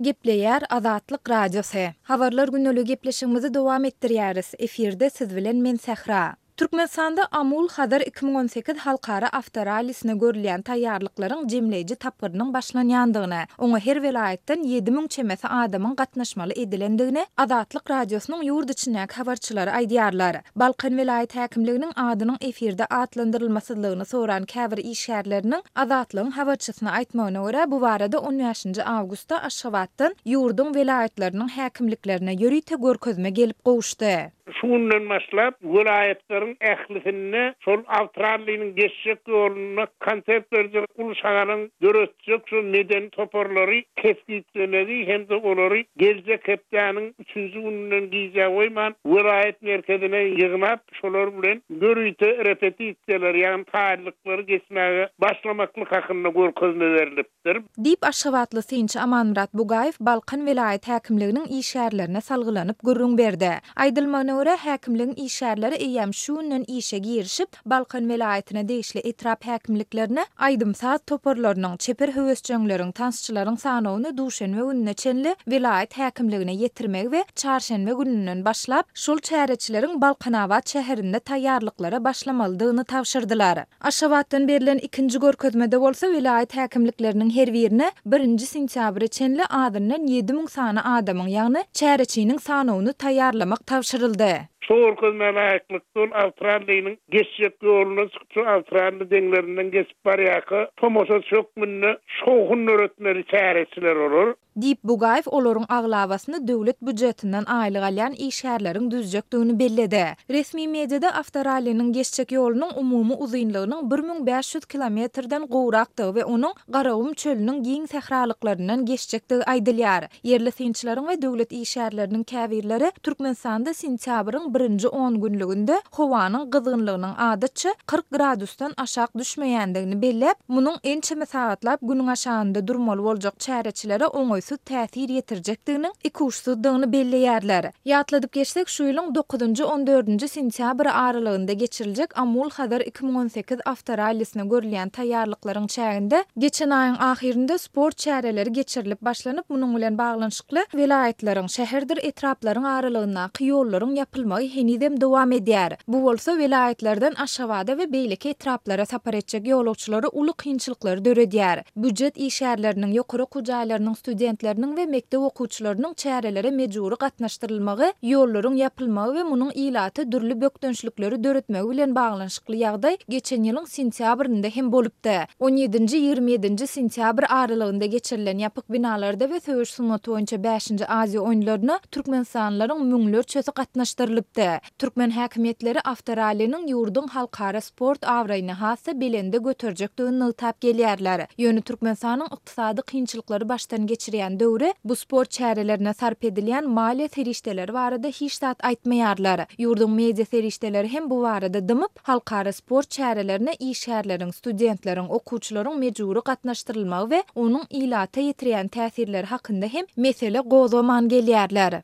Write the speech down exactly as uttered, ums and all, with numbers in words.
Gepleýär Azatlyk Radiosy. Habarlar gündeligi gepleşigimizi dowam etdirýäris. Efirde siz bilen men Sähra. Türkmenistanda Amul Hazar iki müň on sekiz halkara awtorallisine görülýän taýýarlyklaryň jemleýji tapgyrynyň başlanýandygyny, oňa her welaýatdan ýedi müň çemesi adamyň gatnaşmaly edilendigini Azatlyk Radiosynyň ýurt içindäki habarçylary aýdýarlar. Balkan welaýat häkimliginiň adynyň efirde atlandyrylmasyzlygyny soran käbir işgärleriniň Azatlygyň habarçysyna aýtmagyna görä, bu barada on bäşinji awgustda Aşgabatdan ýurduň welaýatlarynyň häkimliklerine ýörite görkezme gelip gowuşdy. Şu günden başlap welaýatlaryň ählisinde şol awtoralliniň geçjek ýolunda konsert berjek uly şagalaň döretjek şu medeni toparlary kesgitlemegi hem-de olary geljek hepdäniň üçünji gününden gijä goýman welaýat merkezine ýygnap, şolar bilen ýörite repetisiýalar, ýagny taýýarlyklary geçmäge başlamaklyk hakynda görkezme berilipdir. Diýip, aşgabatly synçy Amanmyrat Bugaýew Balkan welaýat häkimliginiň işgärlerine salgylanyp gürrüň berdi. Aýdylmagyna görä, häkimligiň işgärleri eýýäm şu günden işe girişip, Balkan welaýatyna degişli etrap häkimliklerine aýdym-saz toparlarynyň, çeper höwesjeňleriň, tansçylaryň sanawyny duşenbe gününe çenli welaýat häkimligine ýetirmegi we çarşenbe gününden başlap, şol çäreçileriň Balkanabat şäherinde taýýarlyklara başlamalydygyny tabşyrdylar. Aşgabatdan berlen ikinji görkezmede bolsa welaýat häkimlikleriniň her birine birinji sentýabra çenli azyndan ýedi müň sany adamyň, ýagny çäreçiniň sanawyny taýýarlamak tabşyryldy. Şu görkezmä laýyklykda ol awtoralliniň geçjek ýoluna çykyp, şu awtoralli deňlerinden geçip barýarka tomaşaçy hökmünde şowhun döretmeli çäreçiler olar. Diýip, Bugaýew olaryň aglabasyny döwlet býujetinden aýlyk alýan işgärleriň düzjekdigini belledi. Resmi mediada awtoralliniň geçjek ýolunyň umumy uzynlygynyň bir müň bäş ýüz kilometrden gowrakdygy we onuň Garagum çölüniň giň sähralyklaryndan geçjekdigi aýdylýar. Ýerli synçylaryň we döwlet işgärleriniň käbirleri Türkmenistanda sentýabryň birinji on günlüginde howanyň gyzgynlygynyň adatça kyrk gradusdan aşak düşmeýändigini belläp, munuň ençeme sagatlap günüň aşagynda durmaly boljak çäreçilere oňaýsyz täsir ýetirjekdiginiň ikuçsuzdygyny belleýärler. Ýatladyp geçsek, şu ýylyň dokuzynjy on dördünji sentýabr aralygynda geçiriljek Amul Hazar iki müň on sekiz awtorallisine görülýän taýýarlyklaryň çäginde geçen aýyň ahyrynda sport çäreleri geçirilip başlanyp, munuň bilen baglanyşykly welaýatlaryň, şäherdir etraplaryň aralygyndaky ýollaryň ýapylmagy henizem dowam edýär. Bu bolsa welaýatlardan Aşgabada we beýleki etraplara sapar etjek ýolagçylara uly kynçylyklary döredýär. Býujet işgärleriniň, ýokary okuw jaýlarynyň studentleriniň we mekdep okuwçylarynyň çärelere mejbury gatnaşdyrylmagy, ýollaryň ýapylmagy we munuň ilata dürli bökdençlikleri döretmegi bilen baglanyşykly ýagdaý geçen ýylyň sentýabrynda hem bolupdy. On ýedinji, ýigrimi ýedinji sentýabr aralygynda geçirilen ýapyk binalarda we söweş sungaty boýunça bäşinji Aziýa oýunlaryna türkmenistanlylaryň müňlerçesi gatnaşdyrylypdy. Türkmen häkimiýetleri awtoralliniň ýurduň halkara sport abraýyny has-da belende göterjekdigini nygtap gelýärler. Ýöne Türkmenistanyň ykdysady kynçylyklary başdan geçirýän döwri bu sport çärelerine sarp edilýän maliýe serişdeleri barada hiç zat aýtmaýarlar. Ýurduň media serişdeleri hem bu barada dymyp, halkara sport çärelerine işgärleriň, studentleriň, okuwçylaryň mejbury gatnaşdyrylmagy we onuň ilata ýetirýän täsirleri hakynda hem mesele gozgaman gelýärler.